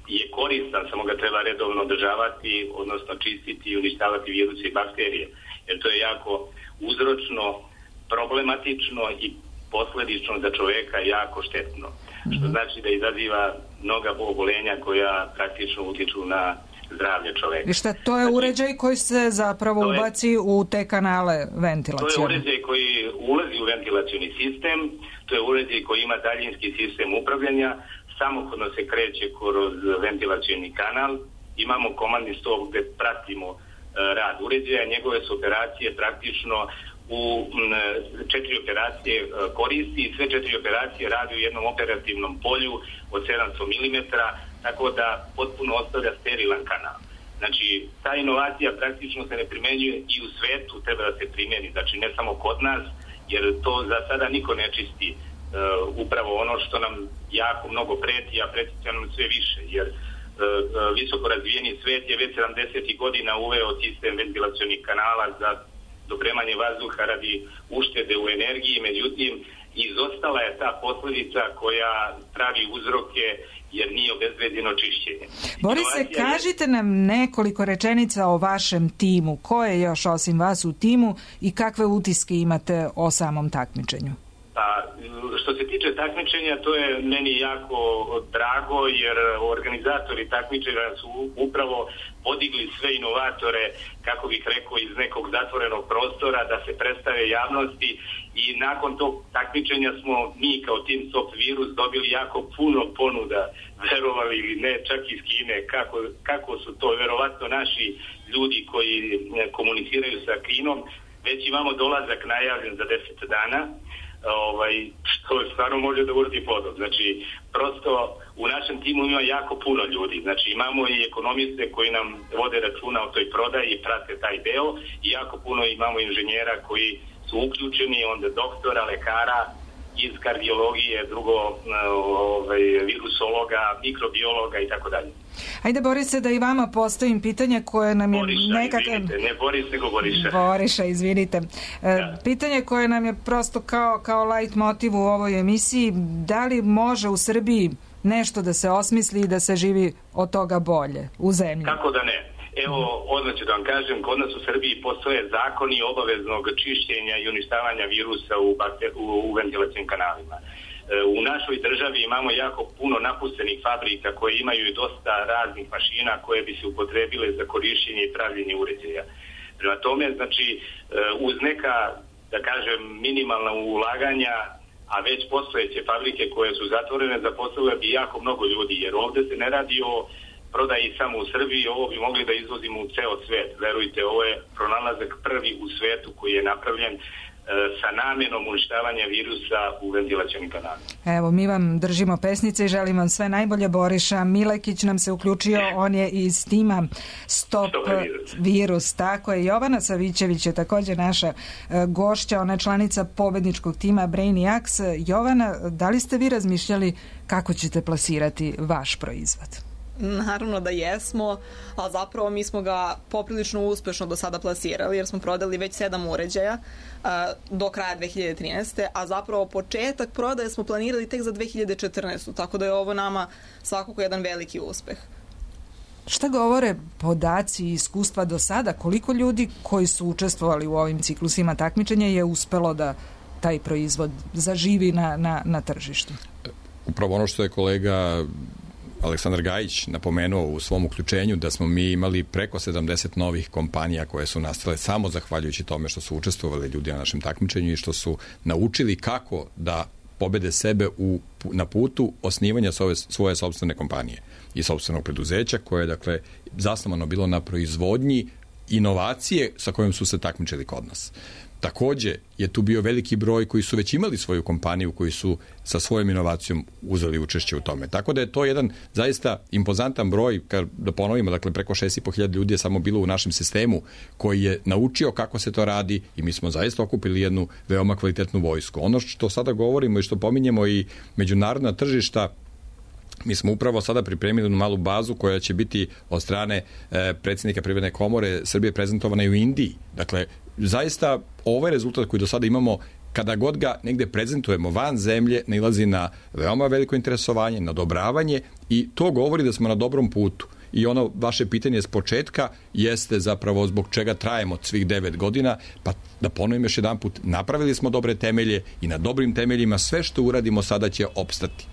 je koristan, samo ga treba redovno održavati, odnosno čistiti i uništavati viruse i bakterije. Jer to je jako uzročno, problematično i posledično za čoveka jako štetno. Što znači da izaziva mnoga obolenja koja praktično utiču na zdravlje čoveka. I šta, to je znači, uređaj koji se zapravo je, ubaci u te kanale ventilacije? To je uređaj koji ulazi u ventilacioni sistem, to je uređaj koji ima daljinski sistem upravljanja, samohodno se kreće kroz ventilacioni kanal, imamo komandni stol gde pratimo uh, rad uređaja, njegove su operacije praktično u četiri operacije koristi i sve četiri operacije radi u jednom operativnom polju od sedamsto milimetara, tako da potpuno ostavlja sterilan kanal. Znači, ta inovacija praktično se ne primenjuje i u svetu treba da se primjeni, znači ne samo kod nas, jer to za sada niko ne čisti upravo ono što nam jako mnogo preti, a preti će nam sve više, jer visoko razvijeni svet je već sedamdesetih godina uveo sistem ventilacionih kanala za dopremanje vazduha radi uštede u energiji, međutim izostala je ta posljedica koja pravi uzroke jer nije obezbeđeno čišćenje. Borise, kažite nam nekoliko rečenica o vašem timu. Ko je još osim vas u timu i kakve utiske imate o samom takmičenju? Pa, što se tiče takmičenja, to je meni jako drago, jer organizatori takmičenja su upravo podigli sve inovatore, kako bih rekao, iz nekog zatvorenog prostora da se predstave javnosti, i nakon tog takmičenja smo mi kao Team Stop Virus dobili jako puno ponuda, verovali ili ne, čak iz Kine, kako, kako su to verovatno naši ljudi koji komuniciraju sa Kinom. Već imamo dolazak najavljen za deset dana, ovaj, što stvarno može da urodi plodom. Znači, prosto u našem timu ima jako puno ljudi. Znači, imamo i ekonomiste koji nam vode računa o toj prodaji i prate taj deo, i jako puno imamo inženjera koji su uključeni, onda doktora, lekara iz kardiologije, drugo ovaj, virusologa, mikrobiologa i tako dalje. Ajde, Borise, da i vama postavim pitanje koje nam je Boriša, nekako... izvinite, ne Boris, nego Boriša. Boriša, izvinite. Da. Pitanje koje nam je prosto kao, kao light motiv u ovoj emisiji, da li može u Srbiji nešto da se osmisli i da se živi od toga bolje u zemlji? Kako da ne? Evo, odmah ću da vam kažem, kod nas u Srbiji postoje zakoni obaveznog čišćenja i uništavanja virusa u, bakter, u, u ventilacijnim kanalima. U našoj državi imamo jako puno napuštenih fabrika koje imaju i dosta raznih mašina koje bi se upotrebile za korišćenje i pravljenje uređaja. Prema tome, znači, uz neka, da kažem, minimalna ulaganja, a već postojeće fabrike koje su zatvorene, zaposlile bi jako mnogo ljudi, jer ovdje se ne radi o prodaji samo u Srbiji, ovo bi mogli da izvozimo u ceo svet. Verujte, ovo je pronalazak prvi u svetu koji je napravljen sa namjenom uništavanja virusa u ventilacionim kanalima. Evo, mi vam držimo pesnice i želim vam sve najbolje. Boriša Milekić nam se uključio, on je iz tima Stop, Stop virus. virus. Tako je. Jovana Savićević je također naša gošća, ona je članica pobedničkog tima Brainiacs. Jovana, da li ste vi razmišljali kako ćete plasirati vaš proizvod? Naravno da jesmo, ali zapravo mi smo ga poprilično uspešno do sada plasirali, jer smo prodali već sedam uređaja uh, do kraja dve hiljade trinaeste. a zapravo početak prodaje smo planirali tek za dve hiljade četrnaestu. tako da je ovo nama svakako jedan veliki uspeh. Šta govore podaci i iskustva do sada? Koliko ljudi koji su učestvovali u ovim ciklusima takmičenja je uspelo da taj proizvod zaživi na, na, na tržištu? Upravo ono što je kolega Aleksandar Gajić napomenuo u svom uključenju, da smo mi imali preko sedamdeset novih kompanija koje su nastale samo zahvaljujući tome što su učestvovali ljudi na našem takmičenju i što su naučili kako da pobede sebe u, na putu osnivanja svoje, svoje sopstvene kompanije i sopstvenog preduzeća koje je, dakle, zasnovano bilo na proizvodnji inovacije sa kojom su se takmičili kod nas. Takođe je tu bio veliki broj koji su već imali svoju kompaniju, koji su sa svojom inovacijom uzeli učešće u tome. Tako da je to jedan zaista impozantan broj, kad da ponovimo, dakle preko šest i po hiljada ljudi je samo bilo u našem sistemu koji je naučio kako se to radi i mi smo zaista okupili jednu veoma kvalitetnu vojsku. Ono što sada govorimo i što pominjemo i međunarodna tržišta, mi smo upravo sada pripremili jednu malu bazu koja će biti od strane e, predsjednika Privredne komore Srbije prezentovana i u Indiji. Dakle, zaista ovaj rezultat koji do sada imamo, kada god ga negde prezentujemo van zemlje, nailazi na veoma veliko interesovanje, na odobravanje i to govori da smo na dobrom putu. I ono vaše pitanje s početka jeste zapravo zbog čega trajemo svih devet godina, pa da ponovim još jedan put, napravili smo dobre temelje i na dobrim temeljima sve što uradimo sada će opstati.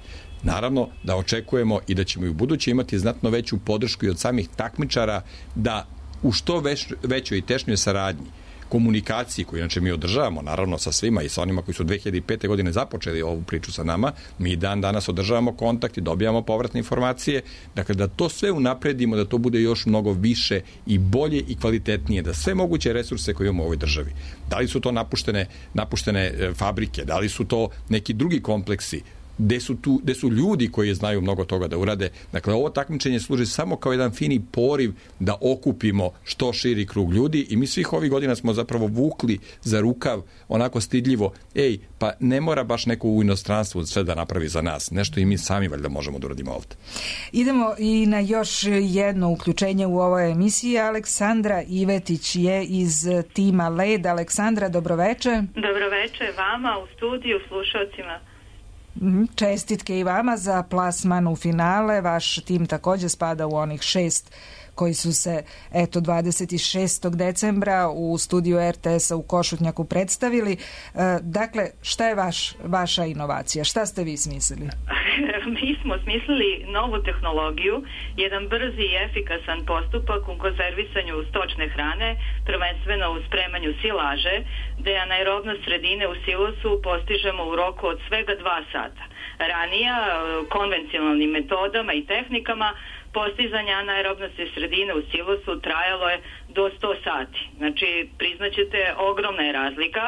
Naravno da očekujemo i da ćemo i u buduće imati znatno veću podršku i od samih takmičara da u što već, većoj i tešnjoj saradnji, komunikaciji koju inače mi održavamo naravno sa svima i sa onima koji su dve hiljade pete. godine započeli ovu priču sa nama, mi dan danas održavamo kontakt i dobijamo povratne informacije, dakle da to sve unapredimo, da to bude još mnogo više i bolje i kvalitetnije, da sve moguće resurse koje imamo u ovoj državi, da li su to napuštene, napuštene fabrike, da li su to neki drugi kompleksi, gde su, tu, gde su ljudi koji znaju mnogo toga da urade. Dakle, ovo takmičenje služi samo kao jedan fini poriv da okupimo što širi krug ljudi i mi svih ovih godina smo zapravo vukli za rukav onako stidljivo, ej, pa ne mora baš neko u inostranstvu sve da napravi za nas. Nešto i mi sami valjda možemo da uradimo ovde. Idemo i na još jedno uključenje u ovoj emisiji. Aleksandra Ivetić je iz tima Led. Aleksandra, dobroveče. Dobroveče vama u studiju, slušalcima. Čestitke i vama za plasman u finale. Vaš tim također spada u onih šest koji su se eto dvadeset šestog decembra u studiju er te es-a u Košutnjaku predstavili. Dakle, šta je vaš, vaša inovacija? Šta ste vi smislili? Mi smo smislili novu tehnologiju, jedan brzi i efikasan postupak u konzervisanju stočne hrane, prvenstveno u spremanju silaže, gde anaerobnost sredine u silosu postižemo u roku od svega dva sata. Ranija, konvencionalnim metodama i tehnikama, postizanje anaerobnosti sredine u silosu trajalo je do sto sati. Znači, priznaćete, ogromna je razlika,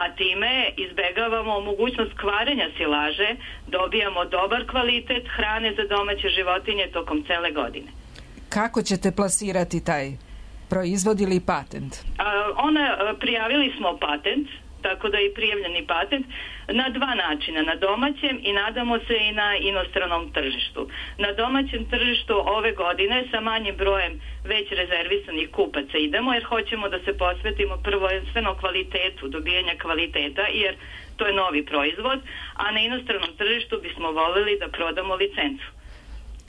a time izbegavamo mogućnost kvarenja silaže, dobijamo dobar kvalitet hrane za domaće životinje tokom cele godine. Kako ćete plasirati taj proizvod ili patent? A, ona, prijavili smo patent, tako da je prijavljeni patent na dva načina, na domaćem i nadamo se i na inostranom tržištu. Na domaćem tržištu ove godine sa manjim brojem već rezervisanih kupaca idemo jer hoćemo da se posvetimo prvenstveno kvalitetu, dobijanja kvaliteta jer to je novi proizvod, a na inostranom tržištu bismo voljeli da prodamo licencu.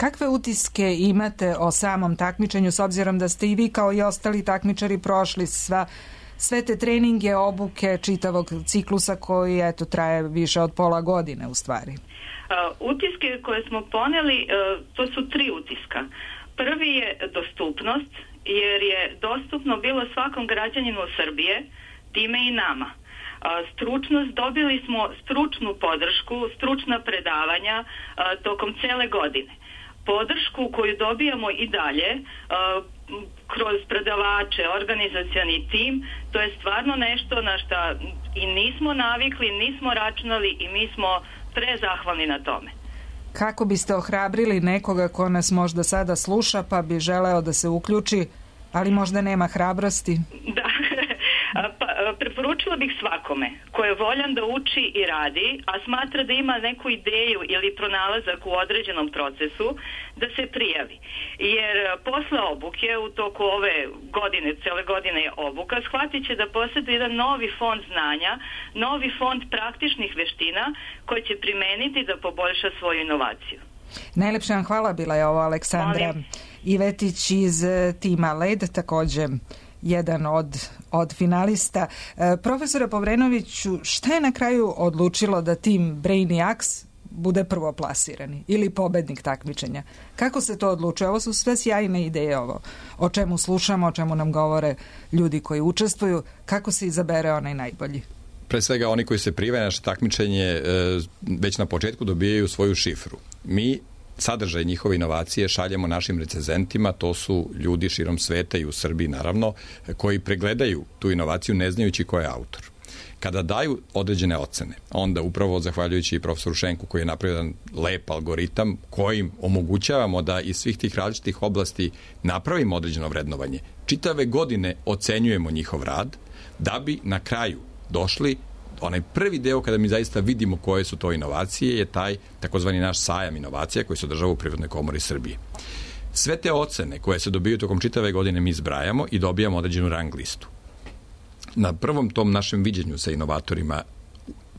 Kakve utiske imate o samom takmičenju s obzirom da ste i vi kao i ostali takmičari prošli sva sve te treninge, obuke, čitavog ciklusa koji eto traje više od pola godine u stvari? Uh, utiske koje smo poneli, uh, to su tri utiska. Prvi je dostupnost, jer je dostupno bilo svakom građaninu Srbije, time i nama. Uh, stručnost, dobili smo stručnu podršku, stručna predavanja uh, tokom cele godine. Podršku koju dobijamo i dalje uh, kroz predavače, organizacioni tim, to je stvarno nešto na šta i nismo navikli, nismo računali i mi smo prezahvalni na tome. Kako biste ohrabrili nekoga ko nas možda sada sluša pa bi želeo da se uključi, ali možda nema hrabrosti? Da, pa, preporučila bih svakome ko je voljan da uči i radi, a smatra da ima neku ideju ili pronalazak u određenom procesu, da se prijavi. Jer posle obuke, u toku ove godine, cele godine je obuka, shvatit će da posjeduje jedan novi fond znanja, novi fond praktičnih veština koji će primeniti da poboljša svoju inovaciju. Najlepša vam hvala, bila je ovo Aleksandra Molim. Ivetić iz tima Led, također jedan od, od finalista. E, profesore Povrenoviću, šta je na kraju odlučilo da tim Brainiacs bude prvoplasirani ili pobednik takmičenja? Kako se to odlučuje? Ovo su sve sjajne ideje, ovo o čemu slušamo, o čemu nam govore ljudi koji učestvuju. Kako se izabere onaj najbolji? Pre svega oni koji se prijave na naše takmičenje već na početku dobijaju svoju šifru. Mi sadržaj njihove inovacije šaljemo našim recenzentima, to su ljudi širom sveta i u Srbiji naravno, koji pregledaju tu inovaciju ne znajući ko je autor. Kada daju određene ocene, onda upravo zahvaljujući profesoru Šenku koji je napravio jedan lep algoritam kojim omogućavamo da iz svih tih različitih oblasti napravimo određeno vrednovanje. Čitave godine ocenjujemo njihov rad da bi na kraju došli onaj prvi deo kada mi zaista vidimo koje su to inovacije je taj takozvani naš sajam inovacija koji se održava u Privrednoj komori Srbije. Sve te ocene koje se dobiju tokom čitave godine mi zbrajamo i dobijamo određenu rang listu. Na prvom tom našem viđenju sa inovatorima,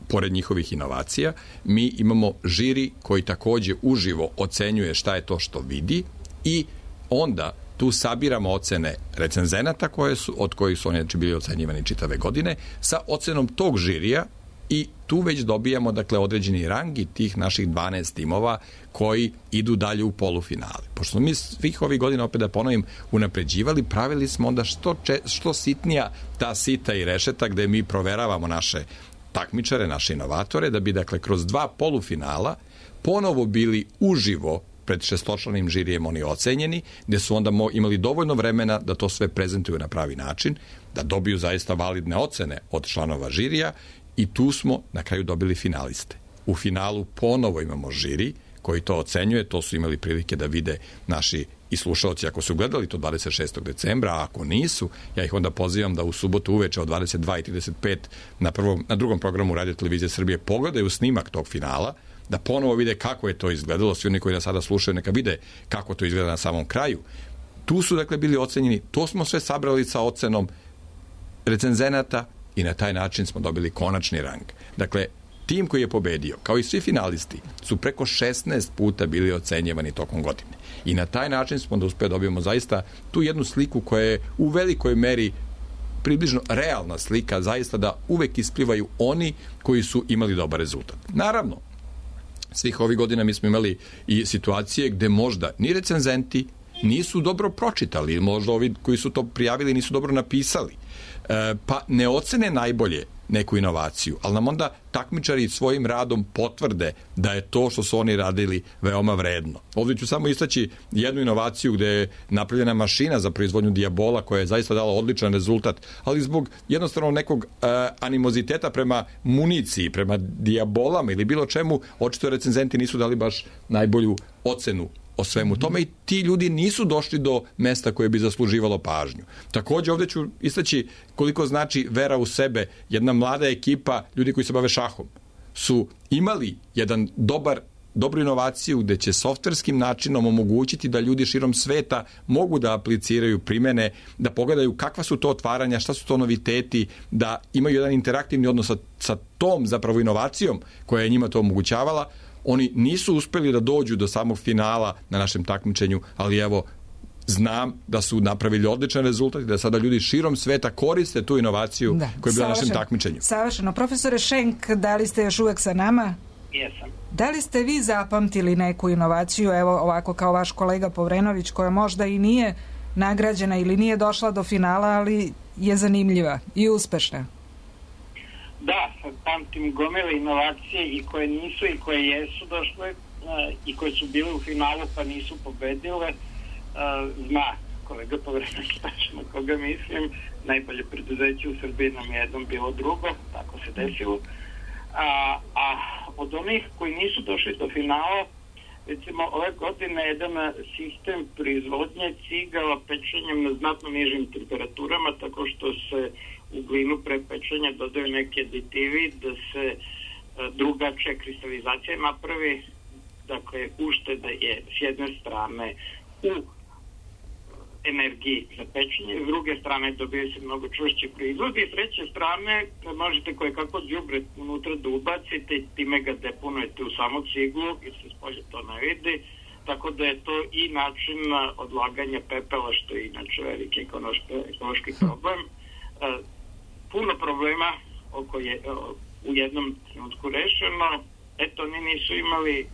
pored njihovih inovacija, mi imamo žiri koji takođe uživo ocenjuje šta je to što vidi i onda tu sabiramo ocene recenzenata koje su, od kojih su oni bili ocenjivani čitave godine, sa ocenom tog žirija i tu već dobijamo dakle određeni rang i tih naših dvanaest timova koji idu dalje u polufinale. Pošto smo mi svih ovih godina, opet da ponovim, unapređivali, pravili smo onda što, če, što sitnija ta sita i rešeta gde mi proveravamo naše takmičare, naše inovatore, da bi dakle kroz dva polufinala ponovo bili uživo pred šestočlanim žirijem oni ocenjeni, gde su onda imali dovoljno vremena da to sve prezentuju na pravi način, da dobiju zaista validne ocene od članova žirija i tu smo na kraju dobili finaliste. U finalu ponovo imamo žiri koji to ocenjuje, to su imali prilike da vide naši i slušalci ako su gledali to dvadeset šestog decembra, a ako nisu, ja ih onda pozivam da u subotu uveče od dvadeset dva i trideset pet na, prvom, na drugom programu Radio Televizije Srbije pogledaju snimak tog finala, da ponovo vide kako je to izgledalo, svi oni koji nas sada slušaju neka vide kako to izgleda na samom kraju. Tu su dakle bili ocenjeni, to smo sve sabrali sa ocenom recenzenata i na taj način smo dobili konačni rang. Dakle, tim koji je pobedio, kao i svi finalisti, su preko šesnaest puta bili ocenjevani tokom godine. I na taj način smo da uspeo dobijemo zaista tu jednu sliku koja je u velikoj meri približno realna slika, zaista da uvek isplivaju oni koji su imali dobar rezultat. Naravno, svih ovih godina mi smo imali i situacije gde možda ni recenzenti nisu dobro pročitali, možda ovi koji su to prijavili nisu dobro napisali, e, pa ne ocene najbolje neku inovaciju, ali nam onda takmičari svojim radom potvrde da je to što su oni radili veoma vredno. Ovdje ću samo istaći jednu inovaciju gde je napravljena mašina za proizvodnju dijabola koja je zaista dala odličan rezultat, ali zbog jednostavno nekog uh, animoziteta prema municiji, prema dijabolama ili bilo čemu, očito recenzenti nisu dali baš najbolju ocenu o svemu tome i ti ljudi nisu došli do mesta koje bi zasluživalo pažnju. Također ovdje ću istaći koliko znači vera u sebe. Jedna mlada ekipa, ljudi koji se bave šahom, su imali jedan dobar dobru inovaciju gde će softverskim načinom omogućiti da ljudi širom sveta mogu da apliciraju primene, da pogledaju kakva su to otvaranja, šta su to noviteti, da imaju jedan interaktivni odnos sa, sa tom zapravo inovacijom koja je njima to omogućavala. Oni nisu uspeli da dođu do samog finala na našem takmičenju, ali evo, znam da su napravili odličan rezultat i da sada ljudi širom sveta koriste tu inovaciju da, koja je bila na našem takmičenju. Savršeno. Profesore Šenk, da li ste još uvek sa nama? Jesam. Da li ste vi zapamtili neku inovaciju, evo ovako kao vaš kolega Povrenović, koja možda i nije nagrađena ili nije došla do finala, ali je zanimljiva i uspešna? Da, pamtim gomile inovacije i koje nisu i koje jesu došle i koje su bile u finalu pa nisu pobedile. Zna kolega Povrenović tačno koga mislim, najbolje preduzeće u Srbiji nam je jednom bilo drugo, tako se desilo. A, a od onih koji nisu došli do finala, recimo ove godine jedan sistem proizvodnje cigala pečenjem na znatno nižim temperaturama, tako što se u glinu pre pečenja dodaju neki aditivi da se drugačija kristalizacija napravi, dakle ušteda je s jedne strane u energiji za pečenje, s druge strane dobije se mnogo čvršći proizvod i s treće strane možete koje kako đubre unutra da ubacite i time ga deponujete u samu ciglu i se spolje to ne vidi, tako da je to i način odlaganja pepela, što je inače veliki ekološki problem. Puno problema oko je u jednom trenutku rešeno. Eto, oni nisu imali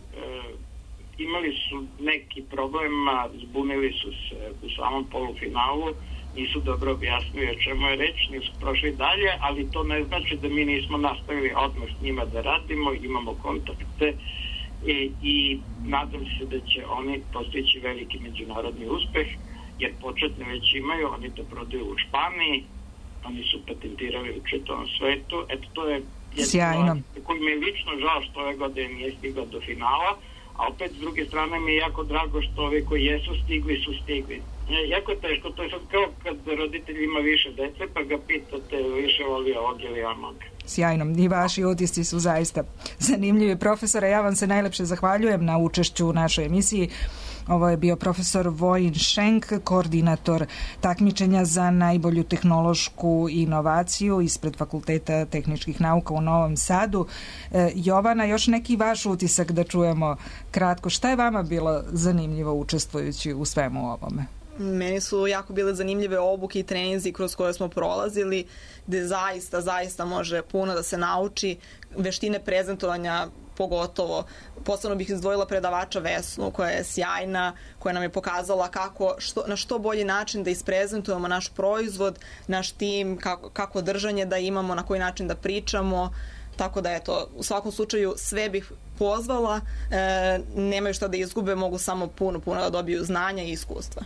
imali su neki problema, zbunili su se u samom polufinalu, nisu dobro objasnili o čemu je reč, nisu prošli dalje, ali to ne znači da mi nismo nastavili odmah s njima da radimo, imamo kontakte i, i nadam se da će oni postići veliki međunarodni uspeh, jer početne već imaju, oni to prodaju u Španiji, oni su patentirali u čitavom svetu. Eto, to je jedno koji mi je lično žao što ove godine nije stigla do finala, a opet s druge strane mi je jako drago što ovi koji jesu stigli su stigli. Jako je teško, to je sad kao kad roditelj ima više dece pa ga pitate više voli ovog ili onog. Sjajno, i vaši utisci su zaista zanimljivi. Profesore, ja vam se najlepše zahvaljujem na učešću u našoj emisiji. Ovo je bio profesor Vojin Šenk, koordinator takmičenja za najbolju tehnološku inovaciju ispred Fakulteta tehničkih nauka u Novom Sadu. E, Jovana, još neki vaš utisak da čujemo kratko. Šta je vama bilo zanimljivo učestvujući u svemu ovome? Meni su jako bile zanimljive obuke i treninzi kroz koje smo prolazili, gde zaista, zaista može puno da se nauči, veštine prezentovanja pogotovo. Posebno bih izdvojila predavača Vesnu, koja je sjajna, koja nam je pokazala kako, što, na što bolji način da isprezentujemo naš proizvod, naš tim, kako, kako držanje da imamo, na koji način da pričamo. Tako da, eto, u svakom slučaju sve bih pozvala, e, nemaju šta da izgube, mogu samo puno, puno da dobiju znanja i iskustva.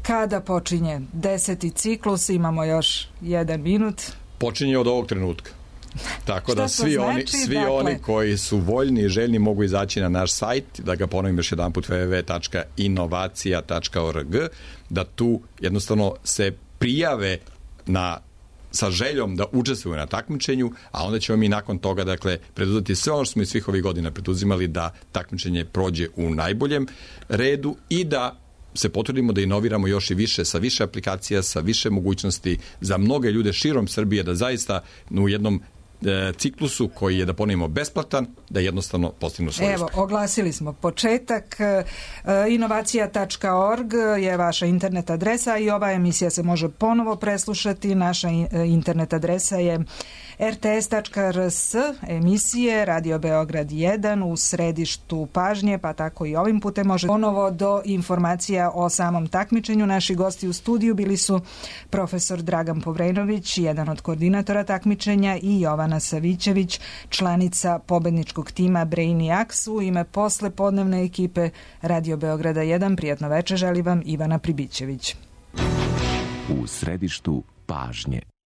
Kada počinje deseti ciklus? Imamo još jedan minut. Počinje od ovog trenutka. Tako da svi, znači? oni, svi dakle... oni koji su voljni i željni mogu izaći na naš sajt, da ga ponovim još jedan put, w w w tačka inovacija tačka org, da tu jednostavno se prijave na sa željom da učestvuju na takmičenju, a onda ćemo mi nakon toga, dakle, preduzeti sve ono što smo i svih ovih godina preduzimali da takmičenje prođe u najboljem redu i da se potrudimo da inoviramo još i više, sa više aplikacija, sa više mogućnosti za mnoge ljude širom Srbije, da zaista u jednom e, ciklusu koji je, da ponovimo, besplatan, da jednostavno postignu svoju Evo, uspeh. oglasili smo početak. E, inovacija tačka org je vaša internet adresa i ova emisija se može ponovo preslušati. Naša internet adresa je er te es tačka er es, emisije Radio Beograd jedan u središtu pažnje, pa tako i ovim putem može ponovo do informacija o samom takmičenju. Naši gosti u studiju bili su profesor Dragan Povrenović, jedan od koordinatora takmičenja, i Jovana Savićević, članica pobedničkog tima Brainiacs. U ime posle podnevne ekipe Radio Beograda jedan, prijatno večer želi vam Ivana Pribićević. U središtu pažnje.